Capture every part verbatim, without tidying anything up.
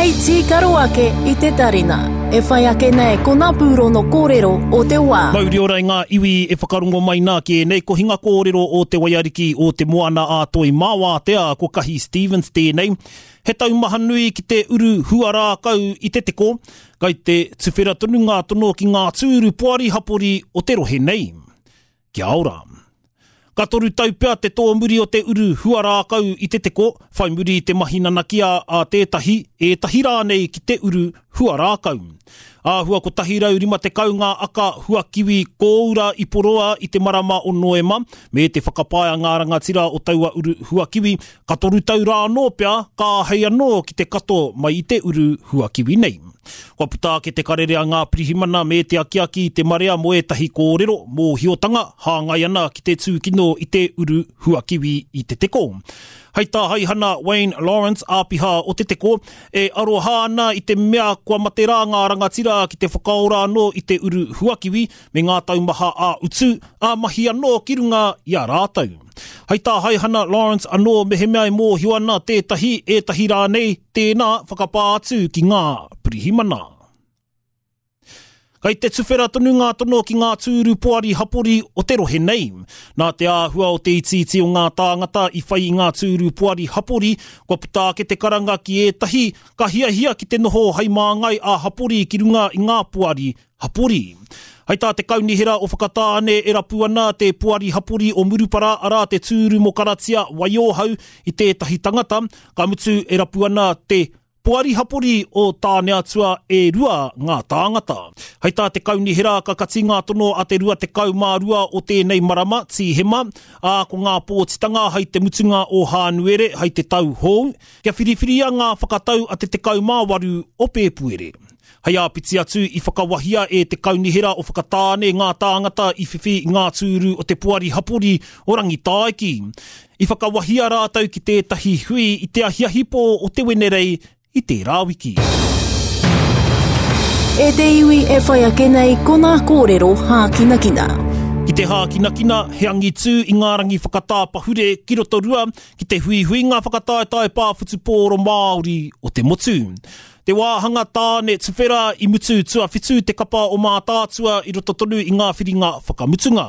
Hei tīkaro ake i te tarina. E whai ake nei ko ngā pūrono kōrero o te wā. Mauri ora i ngā iwi e whakarongo mai nā ki ēnei kohinga kōrero o te waiariki o te moana a Toi Māwātea, ko Kahi Stevens tēnei. He taumaha nui ki te uru huarākau i te teko, kai te tuwhera tonu ngā tono ki ngā tūru poari hapori o te rohe nei. Kia ora. Ka toru tau pea te tōmuri o te uru huarākau i te teko, whai muri i te mahi nanakia a tētahi, ētahi rānei ki te uru huarākau. Āhua kotahi rau rima tekau ngā aka huakiwi kōura i poroa i te marama o Noema, me te whakapae a ngā rangatira o taua uru huakiwi, ka toru tau rā anō pea, ka āhei anō ki te kato mai i te uru huakiwi nei. Kua puta ake te karere a ngā pirihimana me te akiaki i te marea mō ētahi kōrero, mōhiotanga, hāngai ana ki te tūkino i te uru huakiwi i te teko. Hei tā Haihana Wayne Lawrence, āpiha o te teko, e aroha ana i te mea kua mate rā ngā rangatira ki te whakaora anō i te uru huakiwi me ngā taumaha ā-utu, ā-mahi anō ki runga i a rātou. Hei tā Haihana Lawrence anō mehemea e mōhio ana tētahi, ētahi rānei, tēnā whakapā atu ki ngā pirihimana. Kai te tuwhera tonu ngā tono ki ngā tūru poari hapori o te rohe nei. Nā te āhua o te itiiti o ngā tāngata i whai i ngā tūru poari hapori, kua puta ake te karanga ki ētahi, ka hiahia ki te noho hei māngai ā-hapori ki runga i ngā poari hapori. Hei tā te kaunihera o Whakatāne e rapu ana te poari hapori o Murupara, arā te tūru mō Karatia Waiohau i tētahi tangata, ka mutu e rapu ana te poari hapori o Tāneatua e rua ngā tāngata. Hei tā te kaunihera ka kati ngā tono a te rua tekau mā rua o tēnei marama, Tīhema, ā ko ngā pōtitanga hei te mutunga o Hānuere, hei te tau hou, kia whiriwhiria ngā whakatau a te tekau mā waru o Pēpuere. Hei āpiti atu i whakawahia e te kaunihera o Whakatāne ngā tāngata i whiwhi i ngā tūru o te poari hapori o Rangitāiki. I whakawahia rātou ki tētahi hui i te ahiahi pō o te Wenerei i tērā wiki. E te iwi e whai ake nei ko ngā kōrero hākinakina. Ki te hākinakina, he angitū i ngā rangi whakatā pahure ki Rotorua ki te huihuinga whakataetae pā whutupōro Māori o te motu. Te wāhanga tāne tuwhera i mutu tuawhitu te kapa o Mātaatua i roto tonu i ngā whiringa whakamutunga.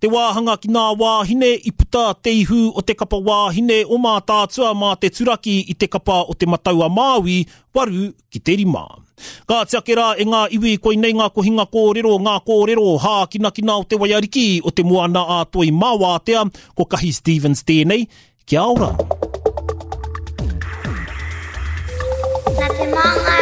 Te wāhanga ki ngā wāhine i puta te ihu o te kapa wāhine o Mātaatua mā te turaki i te kapa o Te Matau a Māui, waru ki te rima. Ka ake rā e ngā iwi koinei ngā kohinga kōrero, ngā kōrero hākinakina o te waiariki o te moana a Toi Māwātea, ko Kahi Stevens tēnei, kia ora. Nā te Māngai